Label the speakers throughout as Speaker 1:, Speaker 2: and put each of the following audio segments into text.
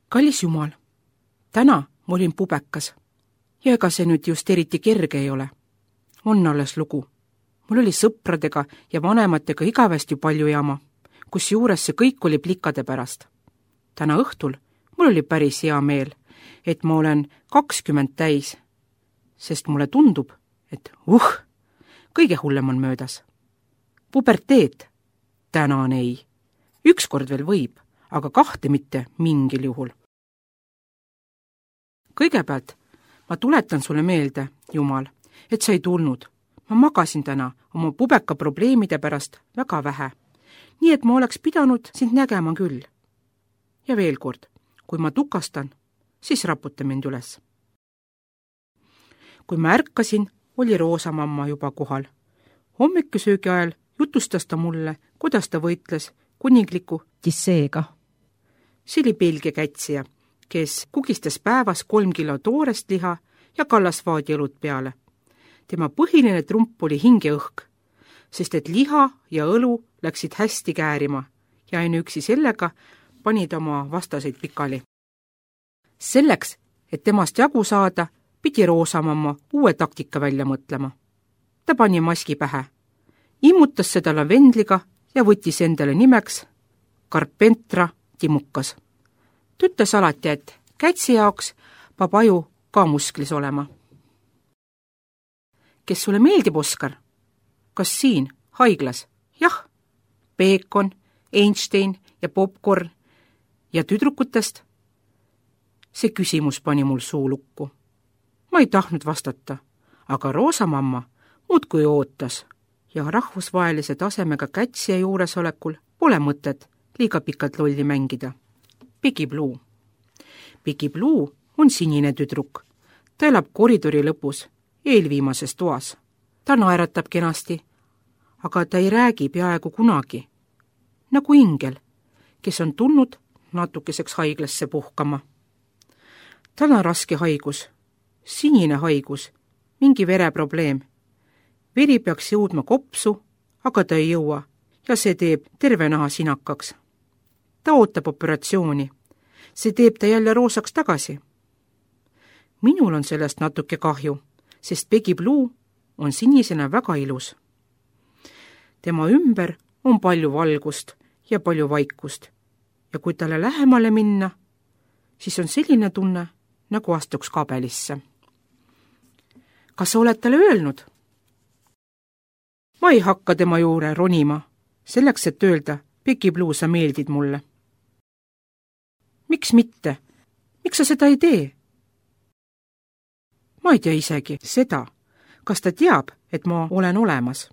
Speaker 1: Kallis Jumal, täna ma olin pubekas ja ega see nüüd just eriti kerge ei ole. On alles lugu. Mul oli sõpradega ja vanematega igavesti palju jama, kus juures see kõik oli plikade pärast. Täna õhtul mul oli päris hea meel, et ma olen 20 täis, sest mulle tundub, et kõige hullem on möödas. Puberteet? Tänan ei. Ükskord veel võib, aga 2 mitte mingil juhul. Kõigepealt ma tuletan sulle meelde, Jumal, et sa ei tulnud. Ma magasin täna oma pubeka probleemide pärast väga vähe, nii et ma oleks pidanud sind nägema küll. Ja veel kord, kui ma tukastan, siis raputa mind üles. Kui ma ärkasin, oli Roosamamma juba kohal. Hommikusöögi ajal jutustas ta mulle, kuidas ta võitles kuningliku Tisseega. See oli Belgia kätsija, kes kugistas päevas 3 kilo toorest liha ja kallasvaadi õlut peale. Tema põhiline trump oli hingeõhk, sest et liha ja õlu läksid hästi käärima ja ainuüksi sellega panid oma vastaseid pikali. Selleks, et temast jagu saada, pidi Roosamamma uue taktika välja mõtlema. Ta pani maski pähe, immutas seda lavendliga ja võttis endale nimeks Carpentra Timukas. Ta ütles alati, et kätsi jaoks peab aju ka musklis olema. Kes sulle meeldib, Oskar? Kas siin, haiglas? Jah, peekon, Einstein ja popcorn ja tüdrukutest? See küsimus pani mul suu lukku. Ma ei tahtnud vastata, aga Roosamamma muudkui ootas ja rahvusvahelise tasemega kätsija juuresolekul pole mõtet liiga pikalt lolli mängida. Piggy Blue. Piggy Blue on sinine tüdruk. Ta elab koridori lõpus, eelviimases toas. Ta naeratab kenasti, aga ta ei räägi peaaegu kunagi. Nagu ingel, kes on tulnud natukeseks haiglasse puhkama. Tal on raske haigus, sinine haigus, mingi vereprobleem. Veri peaks jõudma kopsu, aga ta ei jõua ja see teeb terve naha sinakaks. Ta ootab operatsiooni. See teeb ta jälle roosaks tagasi. Minul on sellest natuke kahju, sest Piggy Blue on sinisena väga ilus. Tema ümber on palju valgust ja palju vaikust ja kui talle lähemale minna, siis on selline tunne, nagu astuks kabelisse. Kas sa oled talle öelnud? Ma ei hakka tema juure ronima, selleks, et öelda, Piggy Blue, sa meeldid mulle. Miks mitte? Miks sa seda ei tee? Ma ei tea isegi seda, kas ta teab, et ma olen olemas.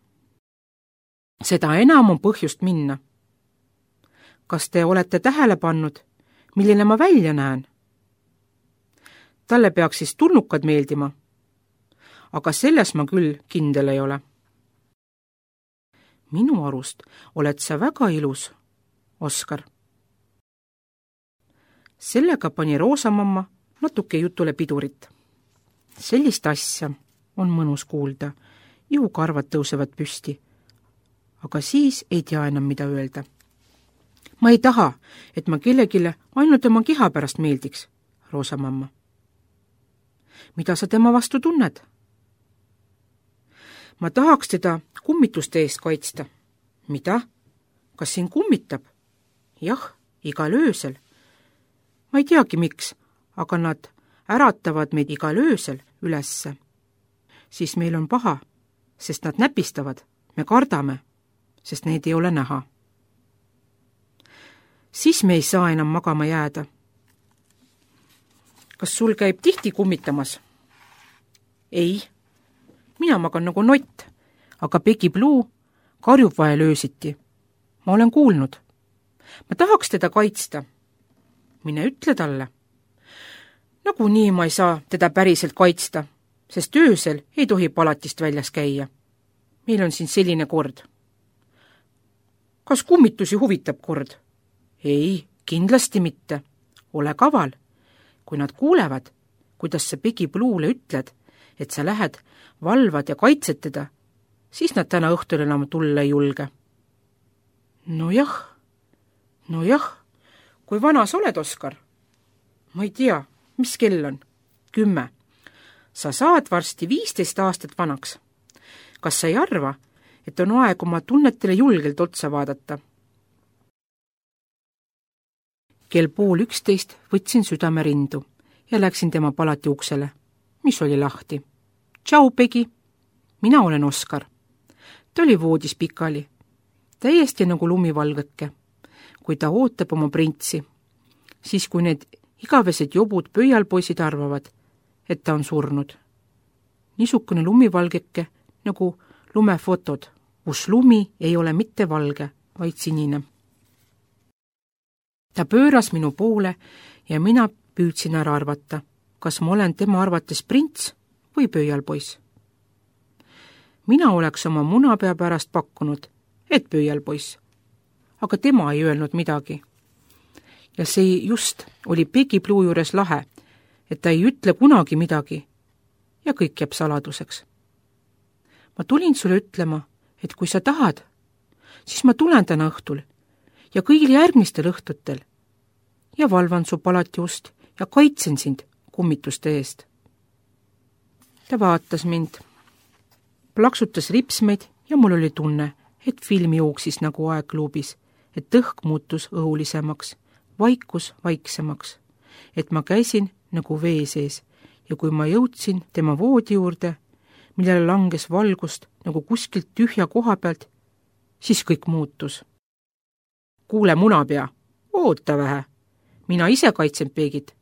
Speaker 1: Seda enam on põhjust minna. Kas te olete tähele pannud, milline ma välja näen? Talle peaks siis tulnukad meeldima, aga selles ma küll kindel ei ole. Minu arust oled sa väga ilus, Oskar. Sellega pani Roosamamma natuke jutule pidurit. Sellist asja on mõnus kuulda, ihukarvad tõusevad püsti, aga siis ei tea enam, mida öelda. Ma ei taha, et ma kellegile ainult oma keha pärast meeldiks, Roosamamma. Mida sa tema vastu tunned? Ma tahaks teda kummituste eest kaitsta. Mida? Kas siin kummitab? Jah, igal öösel. Ma ei teagi miks, aga nad äratavad meid igal öösel ülesse. Siis meil on paha, sest nad näpistavad, me kardame, sest neid ei ole näha. Siis me ei saa enam magama jääda. Kas sul käib tihti kummitamas? Ei. Mina magan nagu nott, aga Piggy Blue karjub vahel öösiti. Ma olen kuulnud. Ma tahaks teda kaitsta. Mine ütle talle. Nagunii ma ei saa teda päriselt kaitsta, sest öösel ei tohi palatist väljas käia. Meil on siin selline kord. Kas kummitusi huvitab kord? Ei, kindlasti mitte. Ole kaval. Kui nad kuulevad, kuidas sa Piggy Blue'le ütled, et sa lähed, valvad ja kaitsed teda, siis nad täna õhtul enam tulla ei julge. No jah, kui vana sa oled, Oskar? Ma ei tea, mis kell on? 10. Sa saad varsti 15 aastat vanaks. Kas sa ei arva, et on aeg oma tunnetele julgelt otsa vaadata? Kell 10:30 võtsin südame rindu ja läksin tema palati uksele, mis oli lahti. Tšau, Pegi! Mina olen Oskar. Ta oli voodis pikali, täiesti nagu lumivalgeke, kui ta ootab oma printsi, siis kui need igavesed jobud pöialpoisid arvavad, et ta on surnud. Niisugune lumivalgeke nagu lumefotod, kus lumi ei ole mitte valge, vaid sinine. Ta pööras minu poole ja mina püüdsin ära arvata, kas ma olen tema arvates prints või pöialpoiss. Mina oleks oma munapea pärast pakkunud, et pöialpoiss, aga tema ei öelnud midagi. Ja see just oli Pegi Blue juures lahe, et ta ei ütle kunagi midagi ja kõik jääb saladuseks. Ma tulin sulle ütlema, et kui sa tahad, siis ma tulen täna õhtul ja kõigil järgmistel õhtutel ja valvan su palati ust ja kaitsen sind kummituste eest. Ta vaatas mind, plaksutas ripsmeid ja mul oli tunne, et film jooksis nagu aegluubis, et õhk muutus õhulisemaks, vaikus vaiksemaks, et ma käisin nagu vee sees ja kui ma jõudsin tema voodi juurde, millele langes valgust nagu kuskilt tühja koha pealt, siis kõik muutus. Kuule, munapea, oota vähe, mina ise kaitsen Pegit.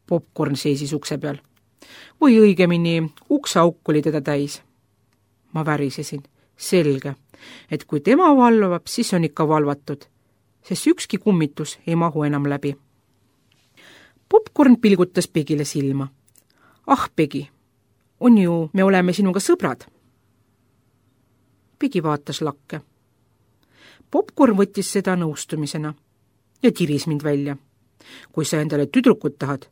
Speaker 1: Popcorn seisis ukse peal. Või õigemini, ukseauk oli teda täis. Ma värisesin. Selge, et kui tema valvab, siis on ikka valvatud, sest ükski kummitus ei mahu enam läbi. Popcorn pilgutas Pegile silma. Ah, Pegi, on ju, me oleme sinuga sõbrad. Pegi vaatas lakke. Popcorn võttis seda nõustumisena ja tiris mind välja. Kui sa endale tüdrukut tahad,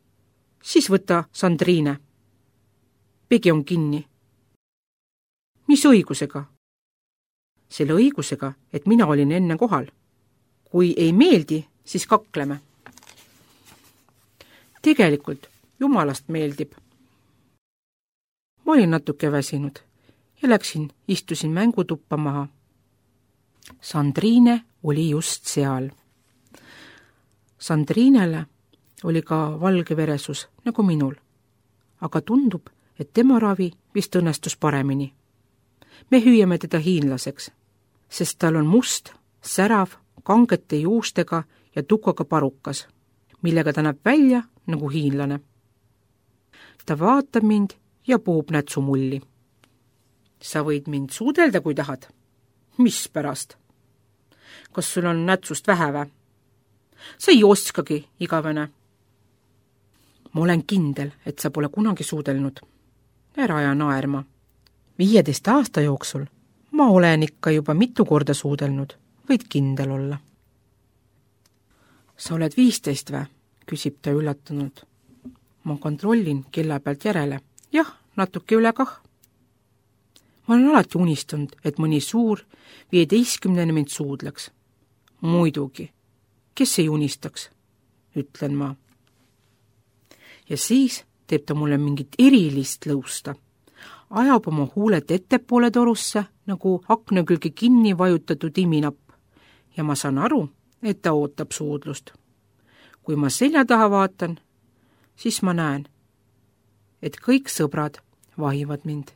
Speaker 1: siis võta Sandriine. Pegi on kinni. Mis õigusega? Selle õigusega, et mina olin enne kohal. Kui ei meeldi, siis kakleme. Tegelikult jumalast meeldib. Ma olin natuke väsinud ja istusin mängutuppa maha. Sandriine oli just seal. Sandriinele oli ka valge veresus, nagu minul, aga tundub, et tema ravi vist õnnestus paremini. Me hüüame teda hiinlaseks, sest tal on must, särav, kangete juustega ja tukaga parukas, millega ta näeb välja nagu hiinlane. Ta vaatab mind ja puhub nätsumulli. Sa võid mind suudelda, kui tahad. Mis pärast? Kas sul on nätsust vähe vä? Sa ei oskagi, igavene. Ma olen kindel, et sa pole kunagi suudelnud. Ära aja naerma. 15 aasta jooksul ma olen ikka juba mitu korda suudelnud, võid kindel olla. Sa oled 15 vä? Küsib ta üllatunud. Ma kontrollin kella pealt järele. Jah, natuke üle kah. Ma olen alati unistanud, et mõni suur 15 mind suudleks. Muidugi, kes ei unistaks, ütlen ma. Ja siis teeb ta mulle mingit erilist lõusta. Ajab oma huuled ettepoole torusse, nagu akna külge kinni vajutatud iminapp. Ja ma saan aru, et ta ootab suudlust. Kui ma selja taha vaatan, siis ma näen, et kõik sõbrad vahivad mind.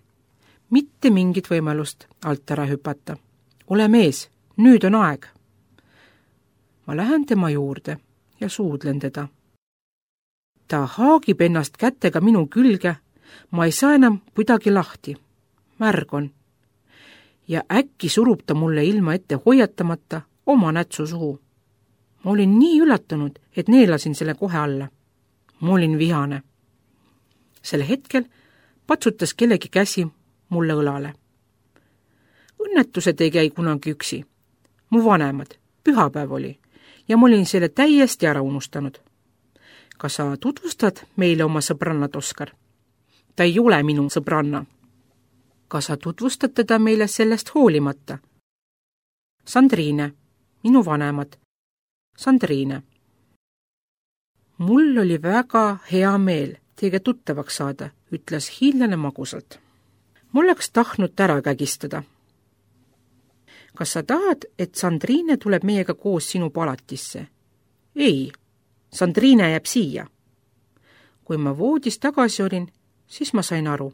Speaker 1: Mitte mingit võimalust alt ära hüpata. Ole mees, nüüd on aeg. Ma lähen tema juurde ja suudlen teda. Ta haagib ennast kätega minu külge, ma ei saa enam kuidagi lahti. Märg on. Ja äkki surub ta mulle ilma ette hoiatamata oma nätsu suhu. Ma olin nii üllatunud, et neelasin selle kohe alla. Ma olin vihane. Sel hetkel patsutas kellegi käsi mulle õlale. Õnnetused ei käi kunagi üksi. Mu vanemad, pühapäev oli, ja ma olin selle täiesti ära unustanud. Kas sa tutvustad meile oma sõbrannat, Oskar? Ta ei ole minu sõbranna. Kas sa tutvustad teda meile sellest hoolimata? Sandriine, minu vanemad. Sandriine. Mul oli väga hea meel teiega tuttavaks saada, ütles hiinlane magusalt. Mul oleks tahtnud ära kägistada. Kas sa tahad, et Sandrine tuleb meiega koos sinu palatisse? Ei, Sandrine jääb siia. Kui ma voodis tagasi olin, siis ma sain aru,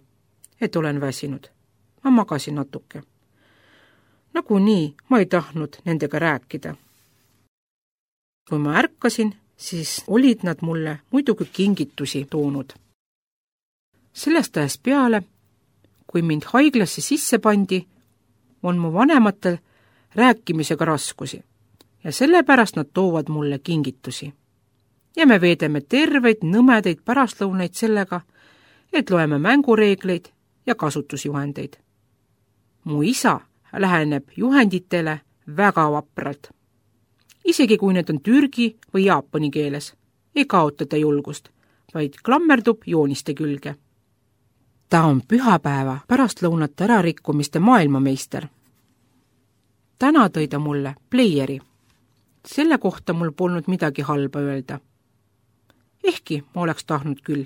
Speaker 1: et olen väsinud. Ma magasin natuke. Nagunii ma ei tahtnud nendega rääkida. Kui ma ärkasin, siis olid nad mulle muidugi kingitusi toonud. Sellest ajast peale, kui mind haiglasse sisse pandi, on mu vanematel rääkimisega raskusi ja sellepärast nad toovad mulle kingitusi. Ja me veedame terveid nõmedaid pärastlõunaid sellega, et loeme mängureegleid ja kasutusjuhendeid. Mu isa läheneb juhenditele väga vapralt. Isegi kui need on türgi või jaapani keeles, ei kaota ta julgust, vaid klammerdub jooniste külge. Ta on pühapäeva pärastlõunate ärarikkumiste maailmameister. Täna tõi ta mulle pleieri. Selle kohta mul polnud midagi halba öelda. Ehkki ma oleks tahtnud küll.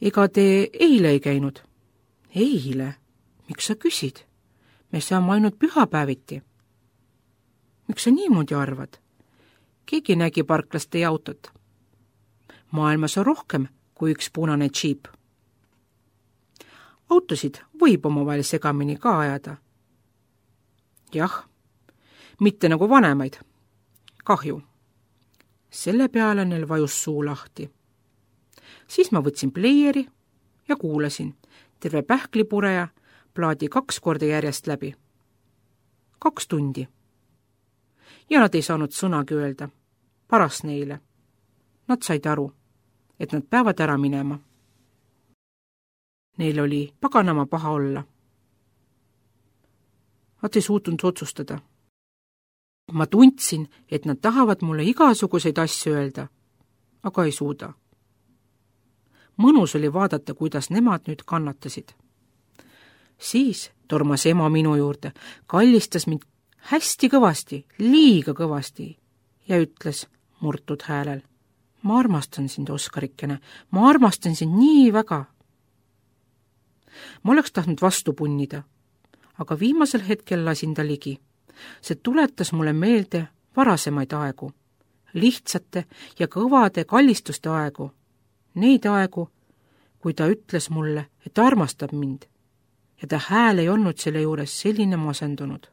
Speaker 1: Ega te eile ei käinud? Eile? Miks sa küsid? Me saame ainult pühapäeviti. Miks sa niimoodi arvad? Keegi nägi parklas teie autot. Maailmas on rohkem kui üks punane džiip. Autosid võib omavahel segamini ka ajada. Jah, mitte nagu vanemaid. Kahju. Selle peale neil vajus suu lahti. Siis ma võtsin pleieri ja kuulasin terve pähklipureja plaadi 2 korda järjest läbi. 2 tundi. Ja nad ei saanud sõnagi öelda. Paras neile. Nad said aru, et nad peavad ära minema. Neil oli paganama paha olla. Nad ei suutnud otsustada. Ma tundsin, et nad tahavad mulle igasuguseid asju öelda, aga ei suuda. Mõnus oli vaadata, kuidas nemad nüüd kannatasid. Siis tormas ema minu juurde, kallistas mind hästi kõvasti, liiga kõvasti ja ütles murtud häälel: ma armastan sind, Oskarikene, ma armastan sind nii väga. Ma oleks tahtnud vastu punnida, aga viimasel hetkel lasin ta ligi. See tuletas mulle meelde varasemaid aegu, lihtsate ja kõvade kallistuste aegu, neid aegu, kui ta ütles mulle, et armastab mind ja ta hääl ei olnud selle juures selline masendunud.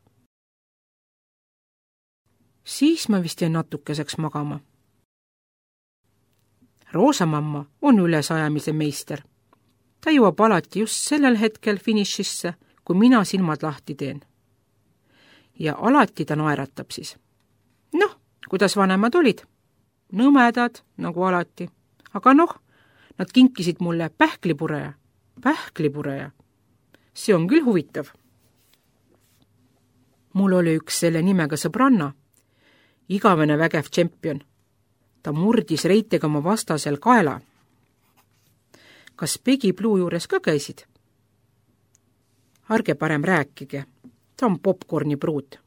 Speaker 1: Siis ma vist jäin natukeseks magama. Roosamamma on ülesajamise meister. Ta jõuab alati just sellel hetkel finišisse, kui mina silmad lahti teen. Ja alati ta naeratab siis. Noh, kuidas vanemad olid? Nõmedad, nagu alati. Aga noh, nad kinkisid mulle pähklipureja. Pähklipureja. See on küll huvitav. Mul oli üks selle nimega sõbranna, igavene vägev tšempion. Ta murdis reitega oma vastasel kaela. Kas Peggy Blue juures ka käisid? Arge parem rääkige. Ta on popcorni pruut.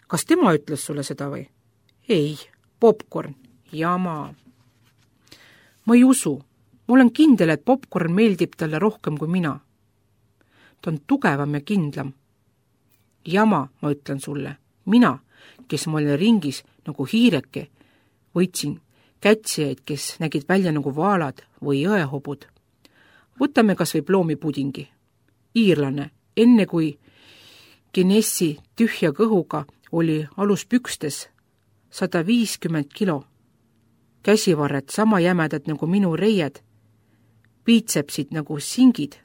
Speaker 1: Kas tema ütles sulle seda või? Ei, popcorn. Jama. Ma ei usu. Ma olen kindel, et popcorn meeldib talle rohkem kui mina. Ta on tugevam ja kindlam. Jama, ma ütlen sulle. Mina, kes ma olin ringis nagu hiireke, võitsin kätsijaid, kes nägid välja nagu vaalad või jõehobud. Võtame kas või ploomipudingi. Iirlane, enne kui Guinessi tühja kõhuga oli aluspükstes 150 kilo. Käsivarred sama jämedad nagu minu reied, piitsepsid nagu singid.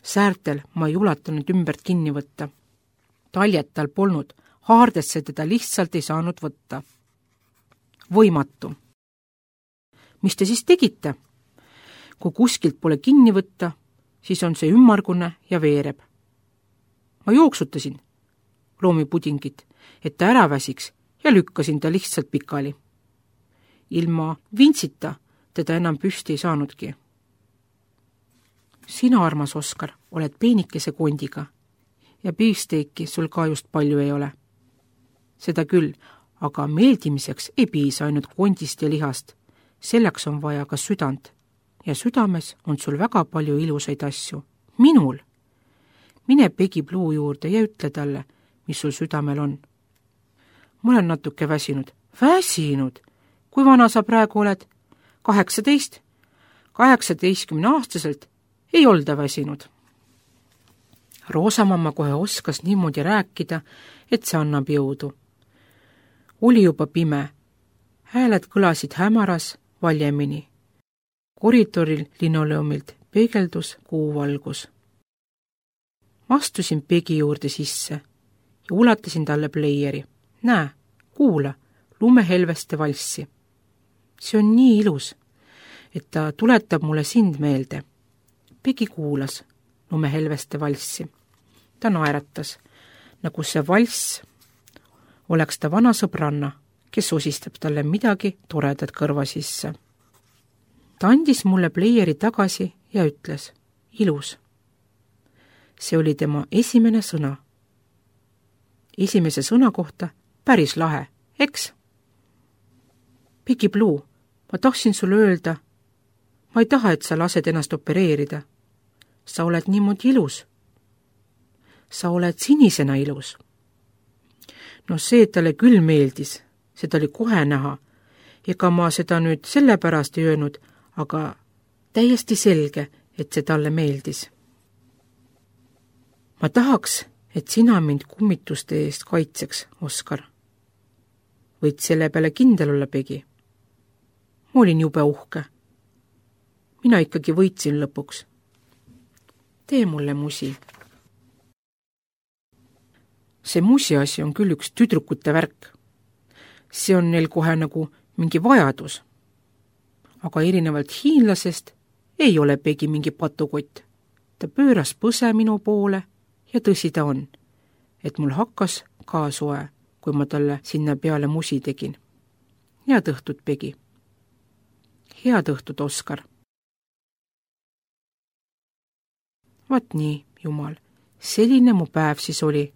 Speaker 1: Säärtel ma ei ulatanud ümbert kinni võtta. Taljet tal polnud, haardesse teda lihtsalt ei saanud võtta. Võimatu. Mis te siis tegite? Kui kuskilt pole kinni võtta, siis on see ümmargune ja veereb. Ma jooksutasin loomipudingit, et ta ära väsiks ja lükkasin ta lihtsalt pikali. Ilma vintsita teda enam püsti ei saanudki. Sina, armas Oskar, oled peenikese kondiga ja beefsteaki sul ka just palju ei ole. Seda küll, aga meeldimiseks ei piisa ainult kondist ja lihast. Selleks on vaja ka südant. Ja südames on sul väga palju ilusaid asju. Minul! Mine Peggy Blue juurde ja ütle talle, mis sul südamel on. Ma olen natuke väsinud. Väsinud? Kui vana sa praegu oled? 18? 18-aastaselt ei olda väsinud. Roosamamma kohe oskas niimoodi rääkida, et see annab jõudu. Oli juba pime. Hääled kõlasid hämaras valjemini. Koridoril linoleumilt peegeldus kuuvalgus. Astusin Peggy juurde sisse ja ulatasin talle pleieri. Näe, kuula, lumehelveste valssi. See on nii ilus, et ta tuletab mulle sind meelde. Peggy kuulas lumehelveste valssi. Ta naeratas, nagu see valss oleks ta vana sõbranna, kes osistab talle midagi toredat kõrva sisse. Ta andis mulle pleieri tagasi ja ütles, ilus. See oli tema esimene sõna. Esimese sõna kohta päris lahe, eks? Peggy Blue, ma tahtsin sulle öelda, ma ei taha, et sa lased ennast opereerida. Sa oled niimoodi ilus. Sa oled sinisena ilus. No see, et talle küll meeldis, seda oli kohe näha. Ega ma seda nüüd sellepärast ei öelnud, aga täiesti selge, et see talle meeldis. Ma tahaks, et sina mind kummituste eest kaitseks, Oskar. Võid selle peale kindel olla, Peggy. Ma olin jube uhke. Mina ikkagi võitsin lõpuks. Tee mulle musi. See musi asi on küll üks tüdrukute värk. See on neil kohe nagu mingi vajadus. Aga erinevalt hiinlasest ei ole Peggy mingi patukott. Ta pööras põse minu poole ja tõsi ta on, et mul hakkas ka soe, kui ma talle sinna peale musi tegin. Head õhtut, Peggy. Head õhtut, Oskar. Vaat nii, jumal, selline mu päev siis oli.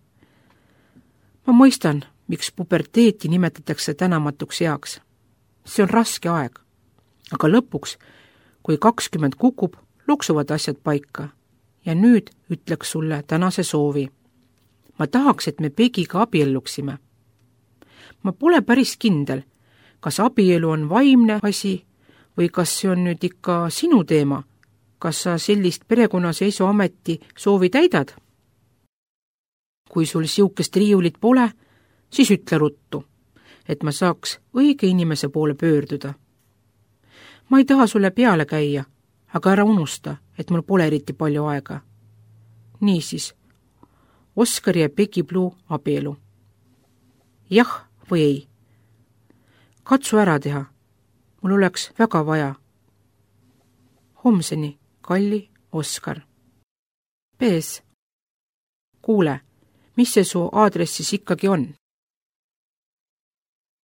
Speaker 1: Ma mõistan, miks puberteeti nimetatakse tänamatuks eaks. See on raske aeg. Aga lõpuks, kui 20 kukub, loksuvad asjad paika. Ja nüüd ütleks sulle tänase soovi. Ma tahaks, et me Peggyga abielluksime. Ma pole päris kindel, kas abielu on vaimne asi või kas see on nüüd ikka sinu teema. Kas sa sellist perekonnaseisuameti soovi täidad? Kui sul siukest riiulit pole, siis ütle ruttu, et ma saaks õige inimese poole pöörduda. Ma ei taha sulle peale käia, aga ära unusta, et mul pole eriti palju aega. Niisiis, Oskari ja Peggy Blue abielu. Jah või ei? Katsu ära teha. Mul oleks väga vaja. Homseni, kalli Oskar. Pees. Kuule, mis see su aadressis ikkagi on?